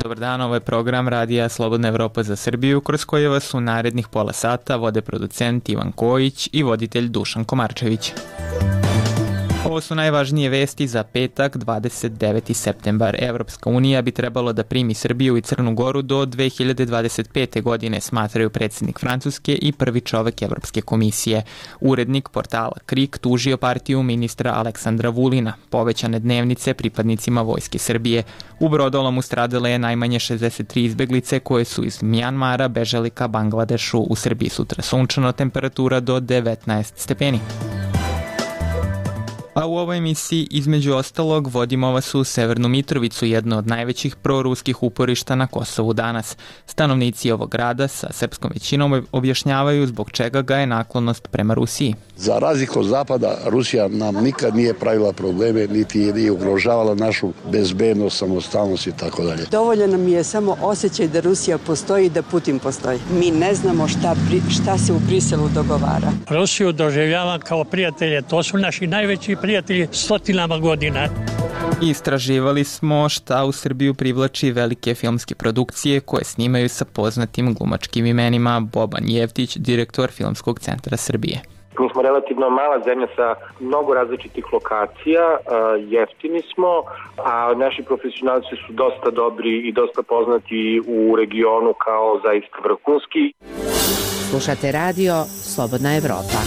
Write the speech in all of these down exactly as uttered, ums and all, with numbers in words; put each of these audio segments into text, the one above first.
Dobar dan, ovo je program Radija Slobodna Evropa za Srbiju, kroz koje vas u narednih pola sata vode producent Ivan Kojić i voditelj Dušan Komarčević. Ovo su najvažnije vesti za petak, dvadeset deveti septembar. Evropska unija bi trebalo da primi Srbiju i Crnu Goru do dve hiljade dvadeset pete. godine, smatraju predsjednik Francuske i prvi čovek Evropske komisije. Urednik portala Krik tužio partiju ministra Aleksandra Vulina, povećane dnevnice pripadnicima Vojske Srbije. U brodolomu stradale je najmanje šezdeset tri izbeglice koje su iz Mjanmara bežali ka Bangladešu. U Srbiji sutra sunčano, temperatura do devetnaest stepeni. A u ovoj emisiji, između ostalog, vodimo vas u Severnu Mitrovicu, jedno od najvećih proruskih uporišta na Kosovu danas. Stanovnici ovog grada sa srpskom većinom objašnjavaju zbog čega ga je naklonost prema Rusiji. Za razliku od Zapada, Rusija nam nikad nije pravila probleme, niti je ugrožavala našu bezbednost, samostalnost i tako dalje. Dovoljno nam je samo osjećaj da Rusija postoji i da Putin postoji. Mi ne znamo šta, šta se u Briselu dogovara. Rusiju doživljavam kao prijatelje, to su naši najveći prijatelji stotinama godina. Istraživali smo šta u Srbiju privlači velike filmske produkcije koje snimaju sa poznatim glumačkim imenima. Boban Jevtić, direktor Filmskog centra Srbije. Mi smo relativno mala zemlja sa mnogo različitih lokacija, jeftini smo, a naši profesionalci su dosta dobri i dosta poznati u regionu kao zaista vrhunski. Slušate radio Slobodna Evropa.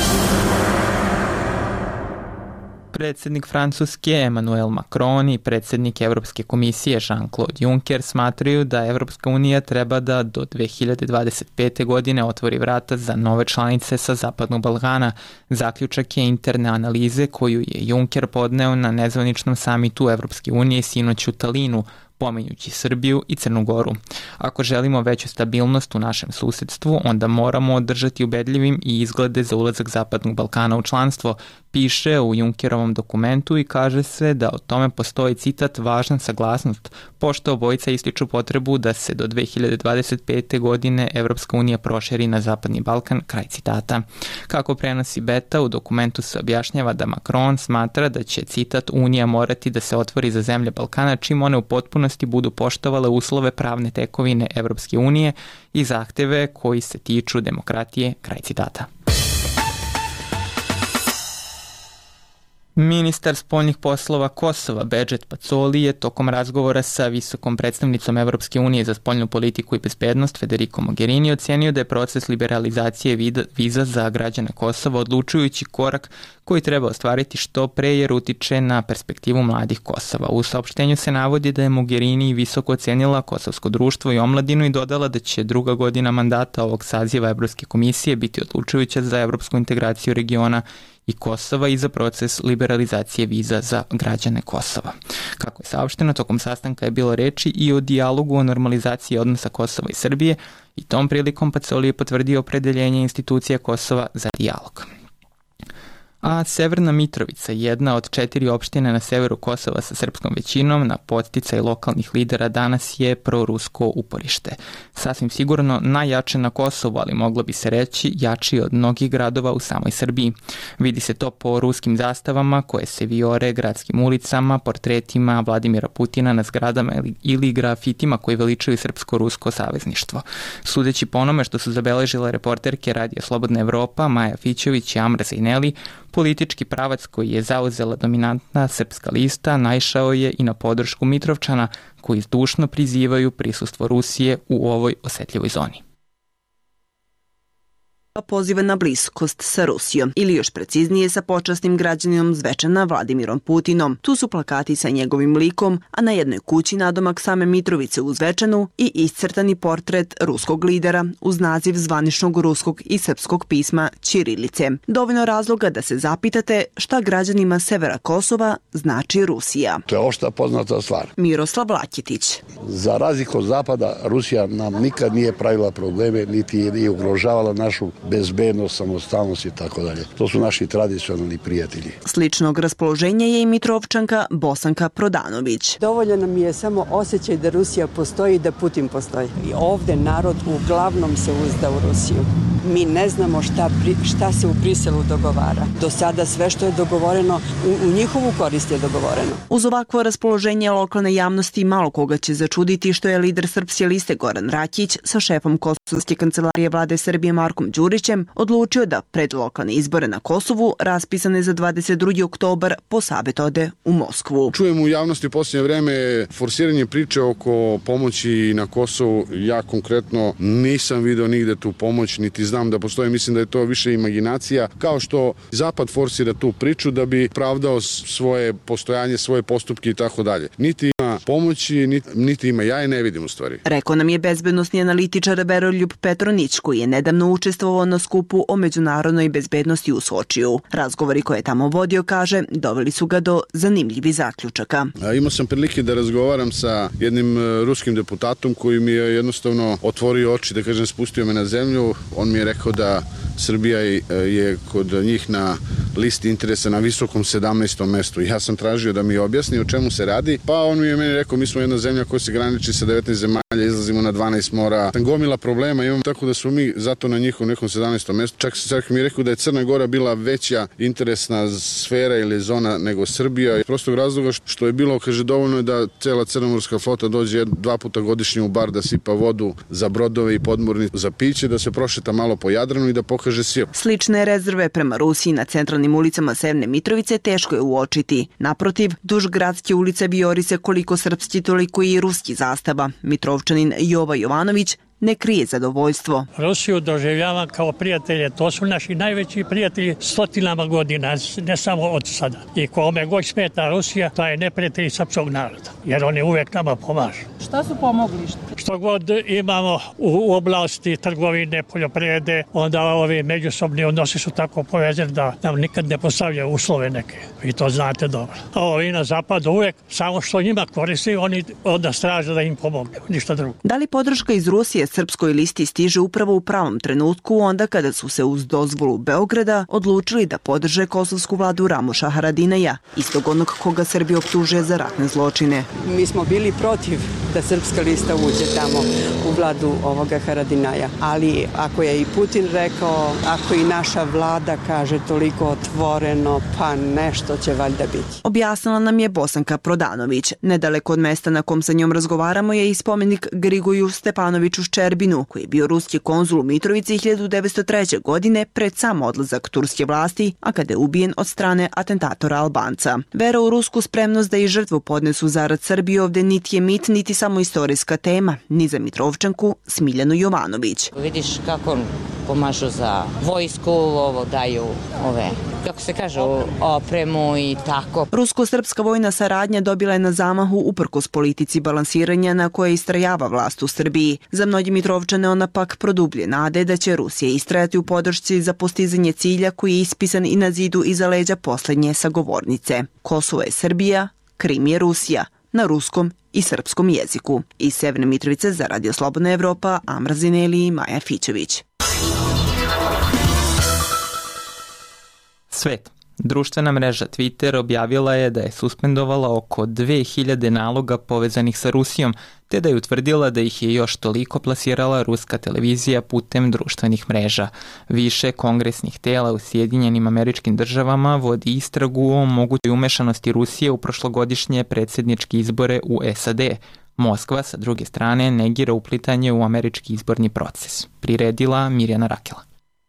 Predsjednik Francuske Emmanuel Macron i predsjednik Evropske komisije Jean-Claude Juncker smatraju da Evropska unija treba da do dve hiljade dvadeset pete. godine otvori vrata za nove članice sa Zapadnog Balkana. Zaključak je interne analize koju je Juncker podneo na nezvaničnom samitu Evropske unije sinoć u Talinu, pominjući Srbiju i Crnu Goru. Ako želimo veću stabilnost u našem susedstvu, onda moramo održati ubedljivim i izglede za ulazak Zapadnog Balkana u članstvo, piše u Junckerovom dokumentu i kaže se da o tome postoji citat važna saglasnost, pošto obojica ističu potrebu da se do dve hiljade dvadeset pete. godine Evropska unija proširi na Zapadni Balkan, kraj citata. Kako prenosi Beta, u dokumentu se objašnjava da Macron smatra da će, citat, Unija morati da se otvori za zemlje Balkana čim one u potpunosti budu poštovale uslove pravne tekovine Evropske unije i zahteve koji se tiču demokratije, kraj citata. Ministar spoljnih poslova Kosova Bedžet Pacoli je tokom razgovora sa visokom predstavnicom Evropske unije za spoljnu politiku i bezbednost Federico Mogherini ocenio da je proces liberalizacije viza za građane Kosova odlučujući korak koji treba ostvariti što pre jer utiče na perspektivu mladih Kosova. U saopštenju se navodi da je Mogherini visoko ocenila kosovsko društvo i omladinu i dodala da će druga godina mandata ovog saziva Evropske komisije biti odlučujuća za evropsku integraciju regiona i Kosova i za proces liberalizacije viza za građane Kosova. Kako je saopšteno, tokom sastanka je bilo reči i o dijalogu o normalizaciji odnosa Kosova i Srbije i tom prilikom Pacoli je potvrdio opredeljenje institucija Kosova za dijalog. A Severna Mitrovica, jedna od četiri opštine na severu Kosova sa srpskom većinom, na podsticaj lokalnih lidera danas je prorusko uporište. Sasvim sigurno najjače na Kosovu, ali moglo bi se reći jači od mnogih gradova u samoj Srbiji. Vidi se to po ruskim zastavama koje se vijore gradskim ulicama, portretima Vladimira Putina na zgradama ili grafitima koji veličaju srpsko-rusko savezništvo. Sudeći po onome što su zabeležile reporterke Radija Slobodna Evropa, Maja Fićević i Amra Zajneli, politički pravac koji je zauzela dominantna srpska lista naišao je i na podršku Mitrovčana koji zdušno prizivaju prisustvo Rusije u ovoj osetljivoj zoni. Poziva na bliskost sa Rusijom ili još preciznije sa počasnim građaninom Zvečana Vladimirom Putinom. Tu su plakati sa njegovim likom, a na jednoj kući nadomak same Mitrovice u Zvečanu i iscrtani portret ruskog lidera uz naziv zvaničnog ruskog i srpskog pisma ćirilice. Dovoljno razloga da se zapitate šta građanima severa Kosova znači Rusija. To je opšta poznata stvar. Miroslav Laketić. Za razliku od Zapada, Rusija nam nikad nije pravila probleme, niti je ugrožavala našu bezbednost, samostalnost i tako dalje. To su naši tradicionalni prijatelji. Sličnog raspoloženja je i Mitrovčanka Bosanka Prodanović. Dovoljno nam je samo osjećaj da Rusija postoji i da Putin postoji. I ovde narod uglavnom se uzda u Rusiju. Mi ne znamo šta, šta se u Briselu dogovara. Do sada sve što je dogovoreno u, u njihovu korist je dogovoreno. Uz ovakvo raspoloženje lokalne javnosti malo koga će začuditi što je lider Srpske liste Goran Rakić sa šefom Kosovske kancelarije vlade Srbije Markom Đurićem odlučio da pred lokalne izbore na Kosovu raspisane za dvadeset drugi oktobar po savjet ode u Moskvu. Čujem u javnosti u posljednje vreme forsiranje priče oko pomoći na Kosovu. Ja konkretno nisam video nigde tu pomoć, niti znam da postoji. Mislim da je to više imaginacija, kao što Zapad forsira tu priču da bi pravdao svoje postojanje, svoje postupke i tako dalje. Niti ima pomoći, niti, niti ima, ja je ne vidim u stvari. Rekao nam je bezbednosni analitičar Veroljub Petronić, koji je nedavno učestvovao na skupu o međunarodnoj bezbednosti u Sočiju. Razgovori koje je tamo vodio, kaže, doveli su ga do zanimljivih zaključaka. A, imao sam prilike da razgovaram sa jednim ruskim deputatom koji mi je jednostavno otvorio oči, da kažem, spustio me na zemlju. On mi je rekao da Srbija je kod njih na listi interesa na visokom sedamnaestom mestu. Ja sam tražio da mi objasni o čemu se radi, pa on mi je meni rekao, mi smo jedna zemlja koja se graniči sa devetnaest zemalja, izlazimo na dvanaest mora, gomila problema imamo, tako da smo mi zato na njihovom nekom sedamnaestom mestu. Čak, čak mi je rekao da je Crna Gora bila veća interesna sfera ili zona nego Srbija. Prostog razloga što je bilo, kaže, dovoljno je da cela crnomorska flota dođe dva puta godišnje u bar da sipa vodu za brodove i podmornice za piće, da se prošeta malo po Jadranu i da pokaže silu. Slične rezerve prema Rusiji na centralnim ulicama Severne Mitrovice teško je uočiti. Naprotiv, duž gradske ulice vijori se koliko srpski, toliko i ruski zastava. Mitrovčanin Jova Jovanović ne krije zadovoljstvo. Rusiju doživljavam kao prijatelje, to su naši najveći prijatelji stotinama godina, ne samo od sada. I kome god smeta Rusija, to je neprijatelj srpskog naroda, jer oni uvek nama pomažu. Šta su pomogli? Što god imamo u oblasti trgovine, poljoprivrede, onda ovi međusobni odnosi su tako povezani da nam nikad ne postavljaju uslove neke. Vi to znate dobro. A ovi na zapadu uvek, samo što njima koristi, oni onda straže da im pomogne, ništa drugo. Da li podrška iz Rusije Srpskoj listi stiže upravo u pravom trenutku, onda kada su se uz dozvolu Beograda odlučili da podrže kosovsku vladu Ramuša Haradinaja, istog onog koga Srbija optužuje za ratne zločine. Mi smo bili protiv da Srpska lista uđe tamo u vladu ovoga Haradinaja, ali ako je i Putin rekao, ako i naša vlada kaže toliko otvoreno, pa nešto će valjda biti. Objasnila nam je Bosanka Prodanović. Nedaleko od mesta na kom sa njom razgovaramo je i spomenik Grigoju Stepanoviću Ščerbinu, koji je bio ruski konzul u Mitrovici hiljadu devetsto treće. godine pred sam odlazak turske vlasti, a kada je ubijen od strane atentatora Albanca. Vera u rusku spremnost da i žrtvu podnesu zarad Srbije ovde niti je mit, niti samo istorijska tema, ni za Mitrovčanku Smiljanu Jovanović. Vidiš kako pomažu za vojsku, ovo daju ove, kako se kaže, opremu i tako. Rusko-srpska vojna saradnja dobila je na zamahu uprkos politici balansiranja na koje istrajava vlast u Srbiji. Za mnogi Mitrovčane ona pak produblje nade da će Rusija istrajati u podršci za postizanje cilja koji je ispisan i na zidu iza leđa poslednje sagovornice. Kosovo je Srbija, Krim je Rusija, na ruskom i srpskom jeziku. Iz Severne Mitrovice za Radio Slobodna Evropa, Amra Zineli i Maja Fićević. Svet. Društvena mreža Twitter objavila je da je suspendovala oko dve hiljade naloga povezanih sa Rusijom, te da je utvrdila da ih je još toliko plasirala ruska televizija putem društvenih mreža. Više kongresnih tela u Sjedinjenim Američkim Državama vodi istragu o mogućoj umešanosti Rusije u prošlogodišnje predsjedničke izbore u S A D. Moskva, sa druge strane, negira uplitanje u američki izborni proces. Priredila Mirjana Rakela.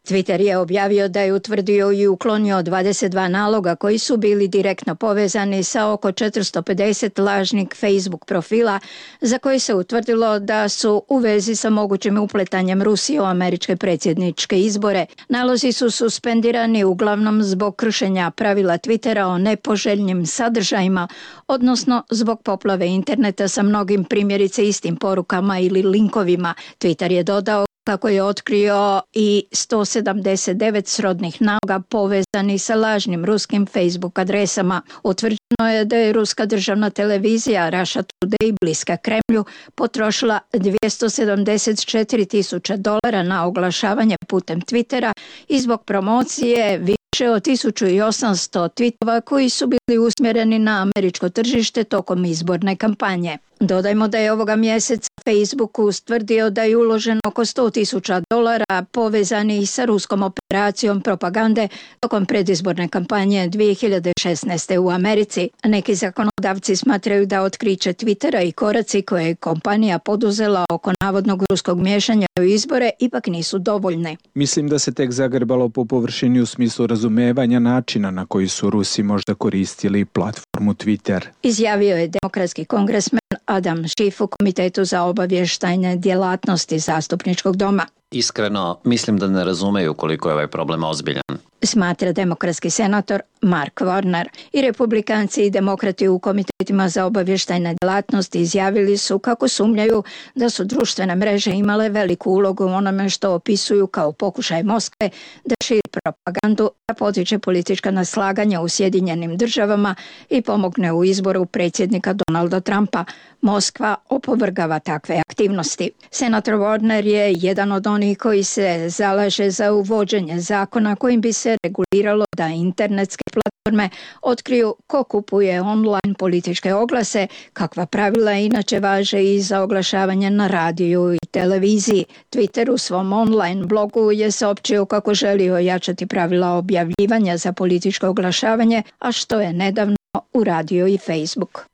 Twitter je objavio da je utvrdio i uklonio dvadeset dva naloga koji su bili direktno povezani sa oko četiristo pedeset lažnih Facebook profila za koje se utvrdilo da su u vezi sa mogućim upletanjem Rusije u američke predsjedničke izbore. Nalozi su suspendirani uglavnom zbog kršenja pravila Twittera o nepoželjnim sadržajima, odnosno zbog poplave interneta sa mnogim primjerice istim porukama ili linkovima. Twitter je dodao kako je otkrio i sto sedamdeset devet srodnih naloga povezani sa lažnim ruskim Facebook adresama. Utvrđeno je da je ruska državna televizija Russia Today bliska Kremlju potrošila dvjesto sedamdeset četiri tisuće dolara na oglašavanje putem Twittera i zbog promocije više od tisuću osamsto tweetova koji su bili usmjereni na američko tržište tokom izborne kampanje. Dodajmo da je ovoga mjeseca Facebook ustvrdio da je uloženo oko sto tisuća dolara povezanih sa ruskom operacijom propagande tokom predizborne kampanje dvije hiljade šesnaeste. u Americi. Neki zakonodavci smatraju da otkriće Twittera i koraci koje je kompanija poduzela oko navodnog ruskog miješanja u izbore ipak nisu dovoljne. Mislim da se tek zagrebalo po površini u smislu razumevanja načina na koji su Rusi možda koristili platformu Twitter. Izjavio je demokratski kongresmen Adam Schiff u Komitetu za obavještajne djelatnosti zastupničkog doma. Iskreno, mislim da ne razumeju koliko je ovaj problem ozbiljan. Smatra demokratski senator Mark Warner. I republikanci i demokrati u komitetima za obavještajne djelatnosti izjavili su kako sumnjaju da su društvene mreže imale veliku ulogu u onome što opisuju kao pokušaj Moskve da širi propagandu, da potiče politička neslaganja u Sjedinjenim državama i pomogne u izboru predsjednika Donalda Trumpa. Moskva opovrgava takve aktivnosti. Senator Warner je jedan od onih koji se zalaže za uvođenje zakona kojim bi se reguliralo da internetske platforme otkriju ko kupuje online političke oglase, kakva pravila inače važe i za oglašavanje na radiju i televiziji. Twitter u svom online blogu je saopćio kako želi ojačati pravila objavljivanja za političko oglašavanje, a što je nedavno uradio i Facebook.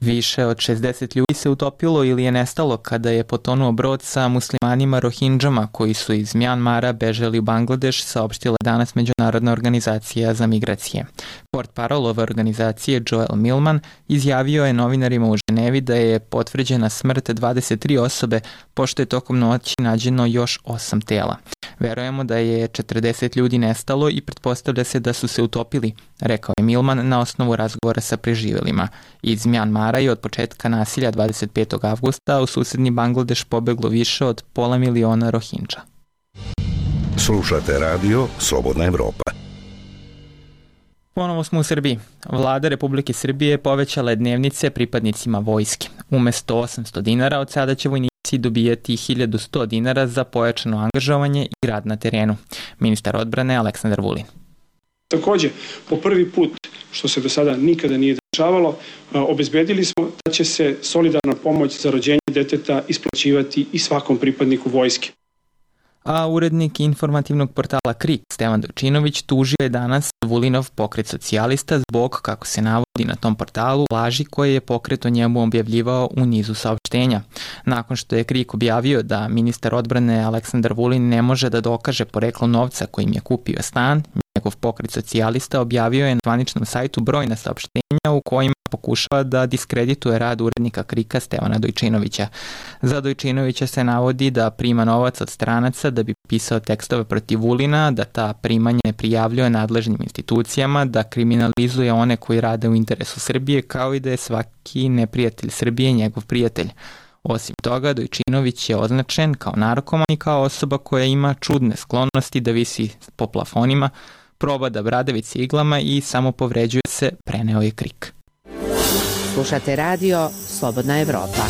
Više od šezdeset ljudi se utopilo ili je nestalo kada je potonuo brod sa muslimanima Rohindžama koji su iz Mjanmara bežali u Bangladeš, saopštila danas Međunarodna organizacija za migracije. Portparol ove organizacije Joel Millman izjavio je novinarima u Ženevi da je potvrđena smrt dvadeset tri osobe, pošto je tokom noći nađeno još osam tela. Verujemo da je četrdeset ljudi nestalo i pretpostavlja se da su se utopili, rekao je Millman na osnovu razgovora sa preživjelima. Iz Mjanmara je od početka nasilja dvadeset petog avgusta u susedni Bangladeš pobeglo više od pola miliona Rohindža. Slušate radio Slobodna Evropa. Ponovo smo u Srbiji. Vlada Republike Srbije povećala je dnevnice pripadnicima vojske. Umesto osamsto dinara od sada će vojnici dobijati hiljadu sto dinara za pojačano angažovanje i rad na terenu. Ministar odbrane Aleksandar Vulin. Također, po prvi put, što se do sada nikada nije dešavalo, obezbedili smo da će se solidarna pomoć za rođenje deteta isplaćivati i svakom pripadniku vojske. A urednik informativnog portala Krik Stevan Dojčinović tužio je danas Vulinov pokret socijalista zbog, kako se navodi na tom portalu, laži koje je pokret o njemu objavljivao u nizu saopštenja. Nakon što je Krik objavio da ministar odbrane Aleksandar Vulin ne može da dokaže poreklo novca kojim je kupio stan, njegov pokret socijalista objavio je na zvaničnom sajtu brojna saopštenja u kojima pokušava da diskredituje rad urednika Krika Stevana Dojčinovića. Za Dojčinovića se navodi da prima novac od stranaca da bi pisao tekstove protiv Vulina, da ta primanja ne prijavljuje nadležnim institucijama, da kriminalizuje one koji rade u interesu Srbije, kao i da je svaki neprijatelj Srbije njegov prijatelj. Osim toga, Dojčinović je označen kao narkoman i kao osoba koja ima čudne sklonosti da visi po plafonima, proba da bradavice iglama i samo povređuje se, preneo je Krik. Slušate radio Slobodna Evropa.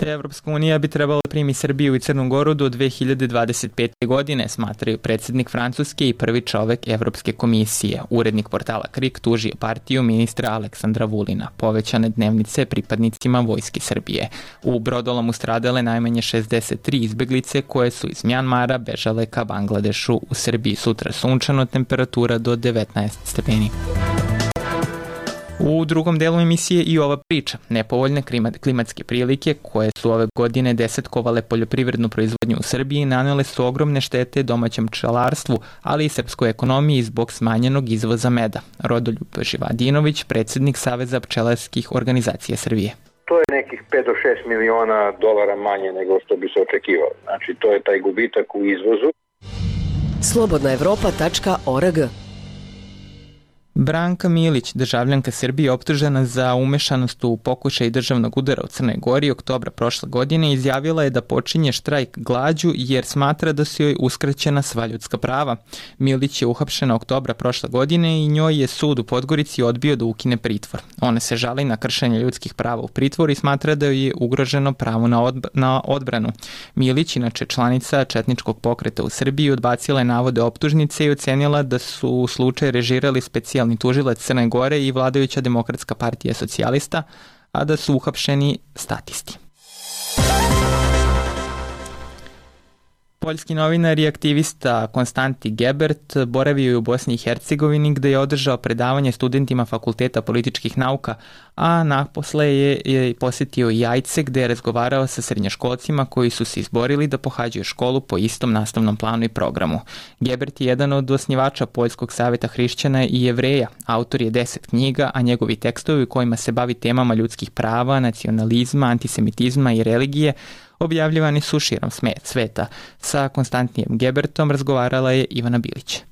Evropska unija bi trebala primi Srbiju i Crnu Goru do dve hiljade dvadeset pete. godine, smatraju predsjednik Francuske i prvi čovek Evropske komisije. Urednik portala Krik tužio partiju ministra Aleksandra Vulina. Povećane dnevnice pripadnicima vojske Srbije. U brodolomu stradale najmanje šezdeset tri izbeglice koje su iz Mjanmara bežale ka Bangladešu. U Srbiji sutra sunčano, temperatura do devetnaest stepeni. U drugom delu emisije i ova priča. Nepovoljne klimatske prilike koje su ove godine desetkovale poljoprivrednu proizvodnju u Srbiji nanele su ogromne štete domaćem pčelarstvu, ali i srpskoj ekonomiji zbog smanjenog izvoza meda. Rodoljub Živadinović, predsjednik Saveza pčelarskih organizacija Srbije. To je nekih pet do šest miliona dolara manje nego što bi se očekivalo. Znači, to je taj gubitak u izvozu. slobodna evropa tačka org. Branka Milić, državljanka Srbije optužena za umešanost u pokušaj državnog udara u Crnoj Gori oktobra prošle godine, izjavila je da počinje štrajk glađu jer smatra da su joj uskraćena sva ljudska prava. Milić je uhapšena oktobra prošle godine i njoj je sud u Podgorici odbio da ukine pritvor. Ona se žali na kršenje ljudskih prava u pritvoru i smatra da joj je ugroženo pravo na, odb na odbranu. Milić, inače članica četničkog pokreta u Srbiji, odbacila je navode optužnice i ocenila da su slučaj režirali specijalni specijalni tužilac Crne Gore i vladajuća Demokratska partija socijalista, a da su uhapšeni statisti. Poljski novinar i aktivista Konstantin Gebert boravio je u Bosni i Hercegovini gde je održao predavanje studentima Fakulteta političkih nauka, a naposle je, je posjetio i Jajce gde je razgovarao sa srednjoškolcima koji su se izborili da pohađaju školu po istom nastavnom planu i programu. Gebert je jedan od osnivača Poljskog saveta hrišćana i Jevreja. Autor je deset knjiga, a njegovi tekstovi u kojima se bavi temama ljudskih prava, nacionalizma, antisemitizma i religije objavljivani su širom sveta. Sa Konstantijem Gebertom razgovarala je Ivana Bilić.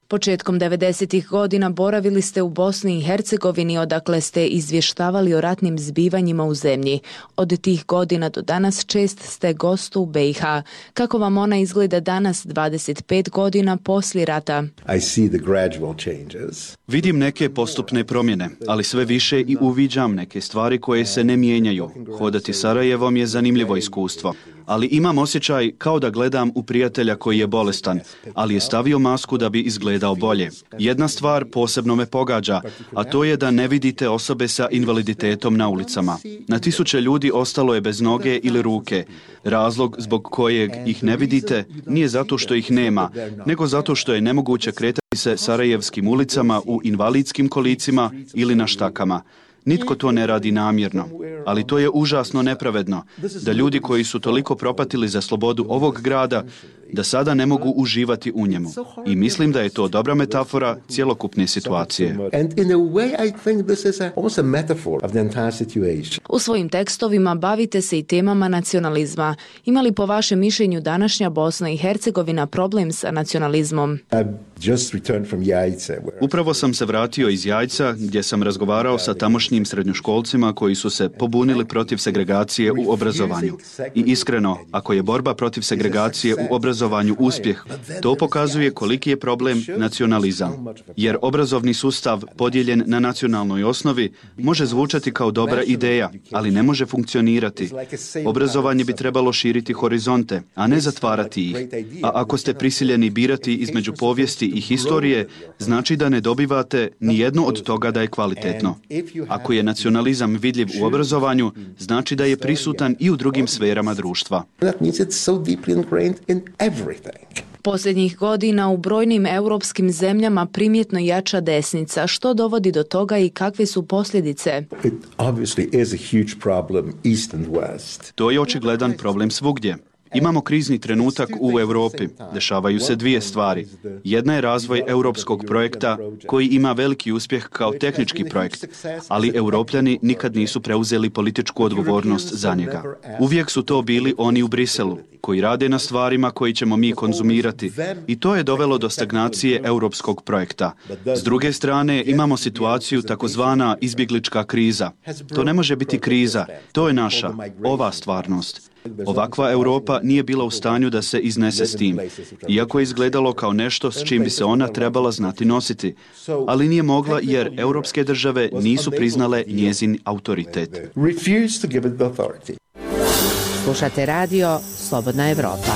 Početkom devedesetih godina boravili ste u Bosni i Hercegovini, odakle ste izvještavali o ratnim zbivanjima u zemlji. Od tih godina do danas čest ste gost u be i ha. Kako vam ona izgleda danas, dvadeset pet godina poslije rata? I see the gradual changes. Vidim neke postupne promjene, ali sve više i uviđam neke stvari koje se ne mijenjaju. Hodati Sarajevom je zanimljivo iskustvo, ali imam osjećaj kao da gledam u prijatelja koji je bolestan, ali je stavio masku da bi izgledao bolje. Jedna stvar posebno me pogađa, a to je da ne vidite osobe sa invaliditetom na ulicama. Na tisuće ljudi ostalo je bez noge ili ruke. Razlog zbog kojeg ih ne vidite nije zato što ih nema, nego zato što je nemoguće kretati se sarajevskim ulicama u invalidskim kolicima ili na štakama. Nitko to ne radi namjerno, ali to je užasno nepravedno, da ljudi koji su toliko propatili za slobodu ovog grada, da sada ne mogu uživati u njemu. I mislim da je to dobra metafora cjelokupne situacije. U svojim tekstovima bavite se i temama nacionalizma. Ima li po vašem mišljenju današnja Bosna i Hercegovina problem sa nacionalizmom? Upravo sam se vratio iz Jajca gdje sam razgovarao sa tamošnjim srednjoškolcima koji su se pobunili protiv segregacije u obrazovanju. I iskreno, ako je borba protiv segregacije u obrazovanju uspjeh, to pokazuje koliki je problem nacionalizam. Jer obrazovni sustav podijeljen na nacionalnoj osnovi može zvučati kao dobra ideja, ali ne može funkcionirati. Obrazovanje bi trebalo širiti horizonte, a ne zatvarati ih. A ako ste prisiljeni birati između povijesti i historije, znači da ne dobivate ni jedno od toga da je kvalitetno. Ako je nacionalizam vidljiv u obrazovanju, znači da je prisutan i u drugim sferama društva. Posljednjih godina u brojnim europskim zemljama primjetno jača desnica. Što dovodi do toga i kakve su posljedice? To je očigledan problem svugdje. Imamo krizni trenutak u Europi. Dešavaju se dvije stvari. Jedna je razvoj europskog projekta koji ima veliki uspjeh kao tehnički projekt, ali Europljani nikad nisu preuzeli političku odgovornost za njega. Uvijek su to bili oni u Briselu, koji rade na stvarima koji ćemo mi konzumirati, i to je dovelo do stagnacije europskog projekta. S druge strane imamo situaciju takozvana izbjeglička kriza. To ne može biti kriza, to je naša, ova stvarnost. Ovakva Europa nije bila u stanju da se iznese s tim, iako je izgledalo kao nešto s čim bi se ona trebala znati nositi, ali nije mogla jer europske države nisu priznale njezin autoritet. Slušate radio Slobodna Evropa.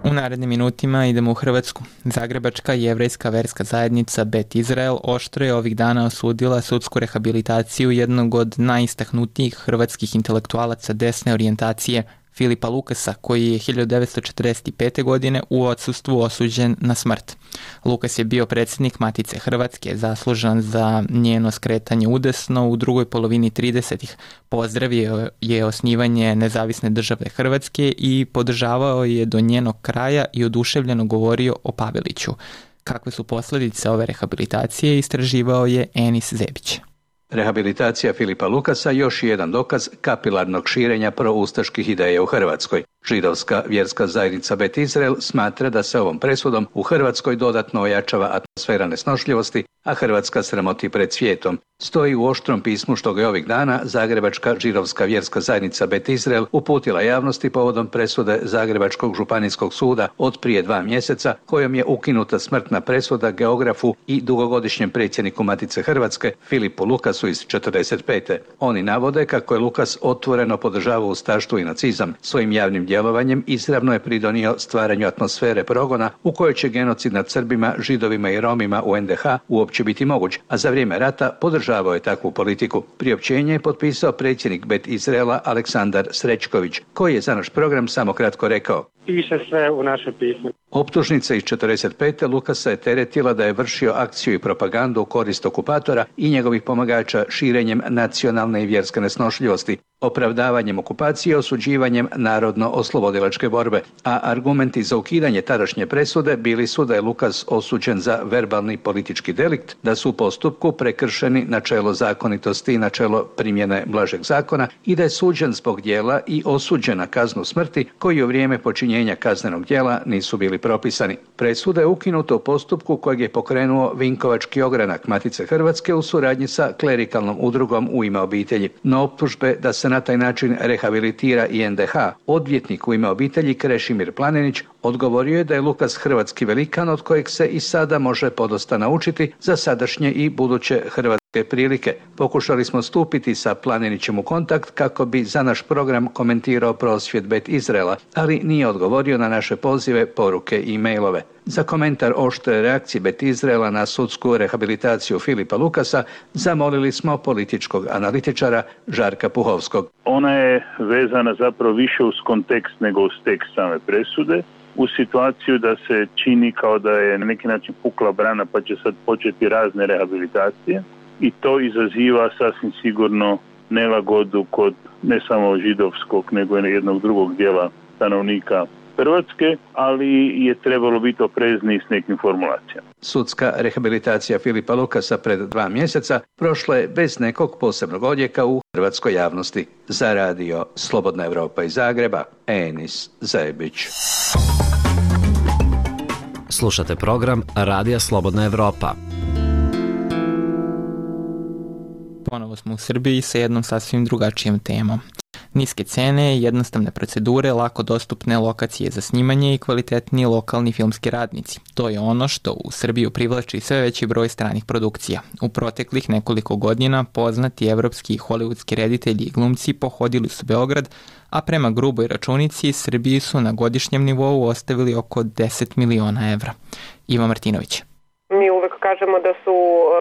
U narednim minutima idemo u Hrvatsku. Zagrebačka jevrejska verska zajednica Bet Izrael oštro je ovih dana osudila sudsku rehabilitaciju jednog od najistaknutijih hrvatskih intelektualaca desne orijentacije, Filipa Lukasa, koji je hiljadu devetsto četrdeset pete. godine u odsustvu osuđen na smrt. Lukas je bio predsjednik Matice Hrvatske, zaslužan za njeno skretanje udesno u drugoj polovini tridesetih. Pozdravio je osnivanje nezavisne države Hrvatske i podržavao je do njenog kraja i oduševljeno govorio o Paveliću. Kakve su posljedice ove rehabilitacije, istraživao je Enis Zebić. Rehabilitacija Filipa Lukasa još je jedan dokaz kapilarnog širenja proustaških ideja u Hrvatskoj. Židovska vjerska zajednica Bet Izrael smatra da se ovom presudom u Hrvatskoj dodatno ojačava atmosfera nesnošljivosti, a Hrvatska sramoti pred svijetom. Stoji u oštrom pismu što ga je ovih dana Zagrebačka židovska vjerska zajednica Bet Izrael uputila javnosti povodom presude Zagrebačkog županijskog suda od prije dva mjeseca, kojom je ukinuta smrtna presuda geografu i dugogodišnjem predsjedniku Matice Hrvatske Filipu Lukasu iz četrdeset pete. Oni navode kako je Lukas otvoreno podržavao ustaštvo i nacizam. Svojim javnim djelovanjem izravno je pridonio stvaranju atmosfere progona u kojoj će genocid nad Srbima, Židovima i Romima u en de ha uopće biti moguć, a za vrijeme rata podržavao je takvu politiku. Priopćenje je potpisao predsjednik Bet Izraela Aleksandar Srećković, koji je za naš program samo kratko rekao: Piše sve u našem pismu. Optužnica iz četrdeset pete Lukasa je teretila da je vršio akciju i propagandu u korist okupatora i njegovih pomagača širenjem nacionalne i vjerske nesnošljivosti, opravdavanjem okupacije i osuđivanjem narodno-oslobodilačke borbe, a argumenti za ukidanje tadašnje presude bili su da je Lukas osuđen za verbalni politički delikt, da su u postupku prekršeni načelo zakonitosti i načelo primjene blažeg zakona i da je suđen zbog djela i osuđen na kaznu smrti koji u vrijeme počinjenja kaznenog djela nisu bili propisani. Presuda je ukinuta u postupku kojeg je pokrenuo Vinkovački ogranak Matice Hrvatske u suradnji sa klerikalnom udrugom U ime obitelji. No optužbe da se na taj način rehabilitira i en de ha, odvjetnik U ime obitelji Krešimir Planinić odgovorio je da je Lukas hrvatski velikan od kojeg se i sada može podosta naučiti za sadašnje i buduće hrvatske prilike. Pokušali smo stupiti sa Planinićem u kontakt kako bi za naš program komentirao prosvjed Bet Izraela, ali nije odgovorio na naše pozive, poruke i mailove. Za komentar oštre reakcije Bet Izraela na sudsku rehabilitaciju Filipa Lukasa zamolili smo političkog analitičara Žarka Puhovskog. Ona je vezana zapravo više uz kontekst nego uz tekst same presude, u situaciju da se čini kao da je na neki način pukla brana pa će sad početi razne rehabilitacije i to izaziva sasvim sigurno nelagodu kod ne samo židovskog nego i jednog drugog dijela stanovnika Hrvatske, ali je trebalo biti oprezniji s nekim formulacijama. Sudska rehabilitacija Filipa Lukasa pred dva mjeseca prošla je bez nekog posebnog odjeka u hrvatskoj javnosti. Za radio Slobodna Evropa iz Zagreba, Enis Zajebić. Slušate program Radija Slobodna Evropa. Ponovo smo u Srbiji sa jednom sasvim drugačijom temom. Niske cene, jednostavne procedure, lako dostupne lokacije za snimanje i kvalitetni lokalni filmski radnici. To je ono što u Srbiju privlači sve veći broj stranih produkcija. U proteklih nekoliko godina poznati evropski i hollywoodski reditelji i glumci pohodili su Beograd, a prema gruboj računici Srbiji su na godišnjem nivou ostavili oko deset miliona evra. Iva Martinović. Mi uvek kažemo da su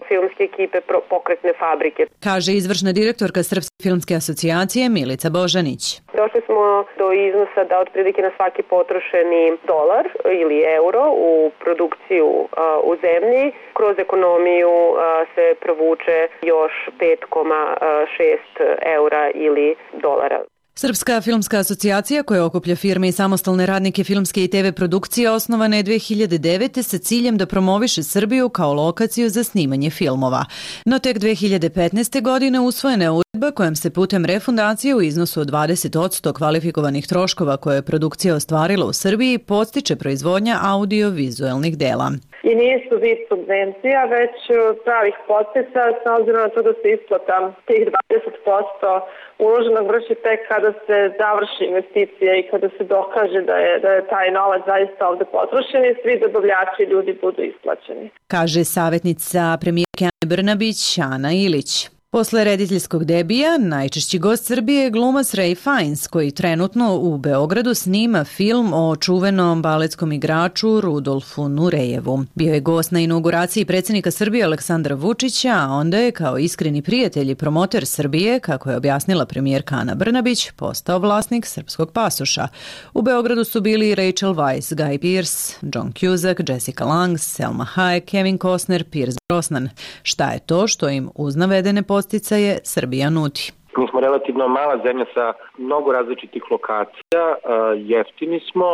filmske ekipe pokretne fabrike. Kaže izvršna direktorka Srpske filmske asocijacije Milica Božanić. Došli smo do iznosa da otprilike na svaki potrošeni dolar ili euro u produkciju a, u zemlji kroz ekonomiju a, se provuče još pet zarez šest eura ili dolara. Srpska filmska asocijacija koja okuplja firme i samostalne radnike filmske i te ve produkcije osnovana je dve hiljade devete. sa ciljem da promoviše Srbiju kao lokaciju za snimanje filmova. No tek dve hiljade petnaeste. godine usvojena je uredba kojom se putem refundacije u iznosu od dvadeset posto kvalifikovanih troškova koje je produkcija ostvarila u Srbiji podstiče proizvodnja audio-vizuelnih dela. I nisu vid subvencija, već pravih potica, s obzirom na to da se isplata tih dvadeset posto uloženog vrši tek kada se završi investicija i kada se dokaže da je, da je taj novac zaista ovde potrošen i svi dobavljači i ljudi budu isplaćeni. Kaže savjetnica premijerke Ane Brnabić, Ana Ilić. Posle rediteljskog debija, najčešći gost Srbije je glumac Ray Fiennes, koji trenutno u Beogradu snima film o čuvenom baletskom igraču Rudolfu Nurejevu. Bio je gost na inauguraciji predsjednika Srbije Aleksandra Vučića, a onda je kao iskreni prijatelj i promoter Srbije, kako je objasnila premijerka Ana Brnabić, postao vlasnik srpskog pasoša. U Beogradu su bili Rachel Weisz, Guy Pearce, John Cusack, Jessica Lange, Selma Hayek, Kevin Costner, Pierce Brosnan. Šta je to što im uz navedene posticaje Srbija nudi? Mi smo relativno mala zemlja sa mnogo različitih lokacija, jeftini smo,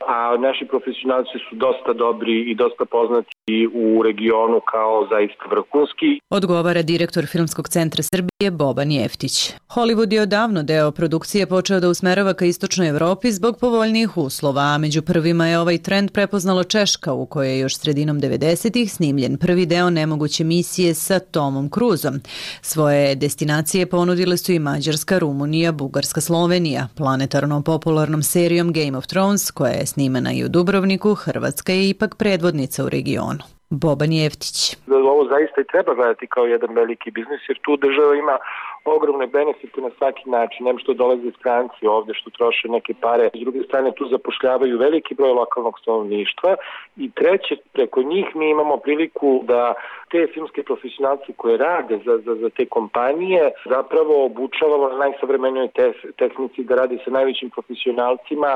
a naši profesionalci su dosta dobri i dosta poznati u regionu kao zaista vrhunski. Odgovara direktor Filmskog centra Srbije Boban Jeftić. Hollywood je odavno deo produkcije počeo da usmerava ka istočnoj Evropi zbog povoljnijih uslova, a među prvima je ovaj trend prepoznalo Češka, u kojoj je još sredinom devedesetih snimljen prvi deo nemoguće misije sa Tomom Cruzom. Svoje destinacije ponudile su i Mađarska, Rumunija, Bugarska, Slovenija. Planetarno popularnom serijom Game of Thrones, koja je snimena i u Dubrovniku, Hrvatska je ipak predvodnica u regionu. Boban Jeftić. Ovo zaista i treba gledati kao jedan veliki biznis, jer tu država ima ogromne benefite na svaki način, nem što dolaze stranci ovde, što troše neke pare, s druge strane tu zapošljavaju veliki broj lokalnog stanovništva i treće, preko njih mi imamo priliku da te filmske profesionalci koje rade za, za, za te kompanije zapravo obučavamo na najsavremenijoj te, tehnici da radi sa najvećim profesionalcima,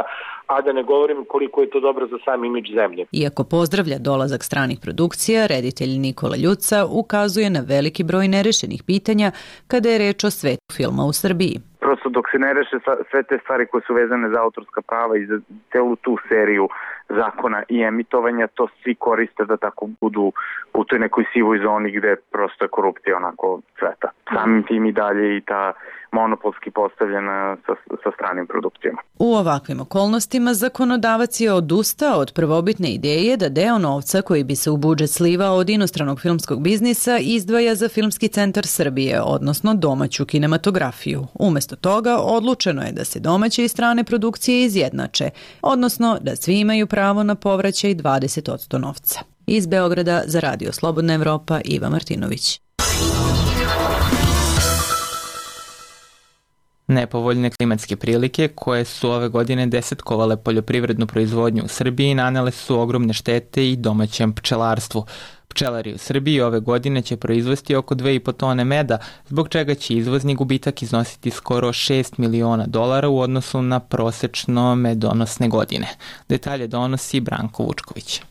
a da ne govorim koliko je to dobro za sam imidž zemlje. Iako pozdravlja dolazak stranih produkcija, reditelj Nikola Ljuca ukazuje na veliki broj nerešenih pitanja kada je reč o svetu filma u Srbiji. Prosto dok se ne reše sve te stvari koje su vezane za autorska prava i za celu tu seriju zakona i emitovanja, to svi koriste da tako budu u toj nekoj sivoj zoni gde prosto je korupcija onako cveta. Samim tim i dalje i ta monopolski postavljena sa, sa stranim produkcijama. U ovakvim okolnostima zakonodavac je odustao od prvobitne ideje da deo novca koji bi se u budžet slivao od inostranog filmskog biznisa izdvaja za Filmski centar Srbije, odnosno domaću kinematografiju. Umesto toga odlučeno je da se domaće i strane produkcije izjednače, odnosno da svi imaju pravo na povraćaj dvadeset posto novca. Iz Beograda za Radio Slobodna Evropa, Iva Martinović. Nepovoljne klimatske prilike koje su ove godine desetkovale poljoprivrednu proizvodnju u Srbiji nanele su ogromne štete i domaćem pčelarstvu. Pčelari u Srbiji ove godine će proizvesti oko dve i po tone meda, zbog čega će izvozni gubitak iznositi skoro šest miliona dolara u odnosu na prosečno medonosne godine. Detalje donosi Branko Vučković.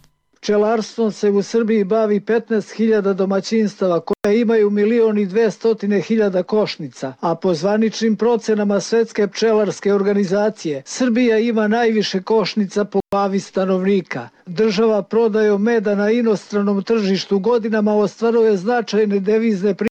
Pčelarstvom se u Srbiji bavi petnaest hiljada domaćinstava koje imaju milion i dvestotine hiljada košnica, a po zvaničnim procenama Svetske pčelarske organizacije Srbija ima najviše košnica po glavi stanovnika. Država prodajom meda na inostranom tržištu godinama ostvaruje značajne devizne prihode,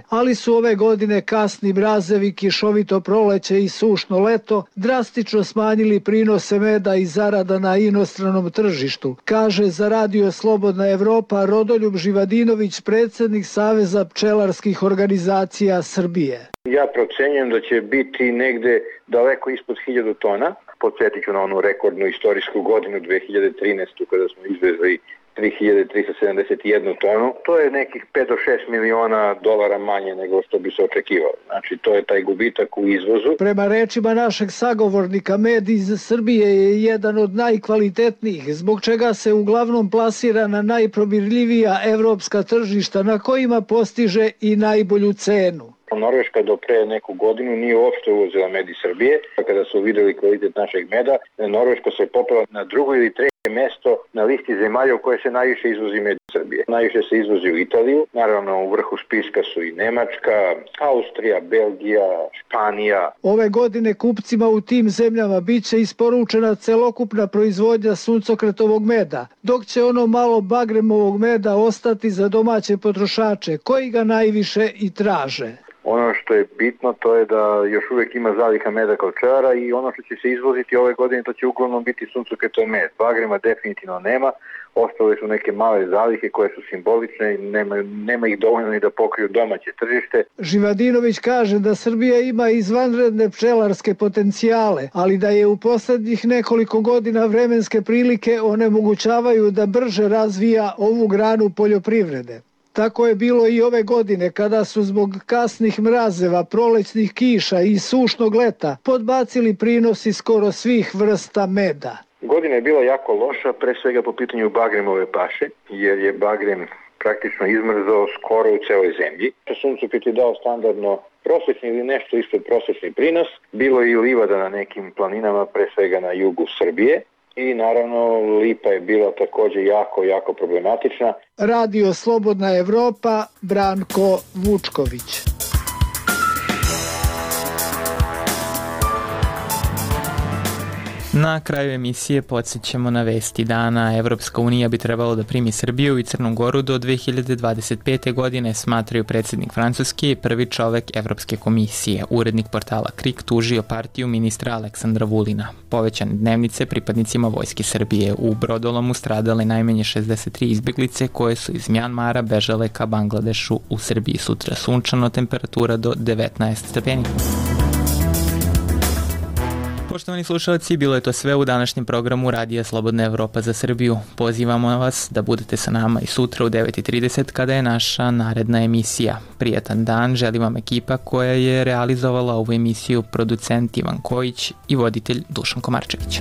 ali su ove godine kasni mrazevi, kišovito proleće i sušno leto drastično smanjili prinose meda i zarada na inostranom tržištu, kaže za Radio Slobodna Evropa Rodoljub Živadinović, predsjednik Saveza pčelarskih organizacija Srbije. Ja procenjujem da će biti negde daleko ispod hiljadu tona. Podsjetit ću na onu rekordnu istorijsku godinu dve hiljade trinaestu kada smo izvezli tri hiljade trista sedamdeset jednu tonu. To je nekih pet do šest miliona dolara manje nego što bi se očekivalo. Znači, to je taj gubitak u izvozu. Prema rečima našeg sagovornika, med iz Srbije je jedan od najkvalitetnijih, zbog čega se uglavnom plasira na najprobirljivija evropska tržišta na kojima postiže i najbolju cenu. Norveška do pre neku godinu nije uopšte uvozila med iz Srbije. Kada su videli kvalitet našeg meda, Norveška se popela na drugo ili treće mesto na listi zemalja u koje se najviše izvozi med iz Srbije. Najviše se izvozi u Italiju, naravno u vrhu spiska su i Nemačka, Austrija, Belgija, Španija. Ove godine kupcima u tim zemljama biće isporučena celokupna proizvodnja suncokretovog meda, dok će ono malo bagremovog meda ostati za domaće potrošače, koji ga najviše i traže. Ono što je bitno to je da još uvijek ima zaliha meda kao pčelara i ono što će se izvoziti ove godine to će uglavnom biti suncokretov med. Bagrema definitivno nema, ostale su neke male zalihe koje su simbolične i nema, nema ih dovoljno ni da pokriju domaće tržište. Živadinović kaže da Srbija ima izvanredne pčelarske potencijale, ali da je u poslednjih nekoliko godina vremenske prilike onemogućavaju da brže razvija ovu granu poljoprivrede. Tako je bilo i ove godine kada su zbog kasnih mrazeva, prolećnih kiša i sušnog leta podbacili prinosi skoro svih vrsta meda. Godina je bila jako loša, pre svega po pitanju bagremove paše, jer je bagrem praktično izmrzao skoro u celoj zemlji. Suncokret je dao standardno prosječni ili nešto ispod prosječni prinos. Bilo je i livada na nekim planinama, pre svega na jugu Srbije. I naravno lipa je bila također jako, jako problematična. Radio Slobodna Evropa, Branko Vučković. Na kraju emisije podsjećamo na vesti dana. Evropska unija bi trebalo da primi Srbiju i Crnu Goru do dve hiljade dvadeset pete. godine, smatraju predsjednik Francuske i prvi čovek Evropske komisije. Urednik portala Krik tužio partiju ministra Aleksandra Vulina. Povećane dnevnice pripadnicima Vojske Srbije. U brodolomu stradale najmanje šezdeset tri izbjeglice koje su iz Mjanmara bežale ka Bangladešu. U Srbiji sutra sunčano, temperatura do devetnaest stepeni. Poštovani slušalci, bilo je to sve u današnjem programu Radija Slobodna Evropa za Srbiju. Pozivamo vas da budete sa nama i sutra u devet i trideset kada je naša naredna emisija. Prijetan dan, želim vam ekipa koja je realizovala ovu emisiju, producent Ivan Kojić i voditelj Dušan Komarčević.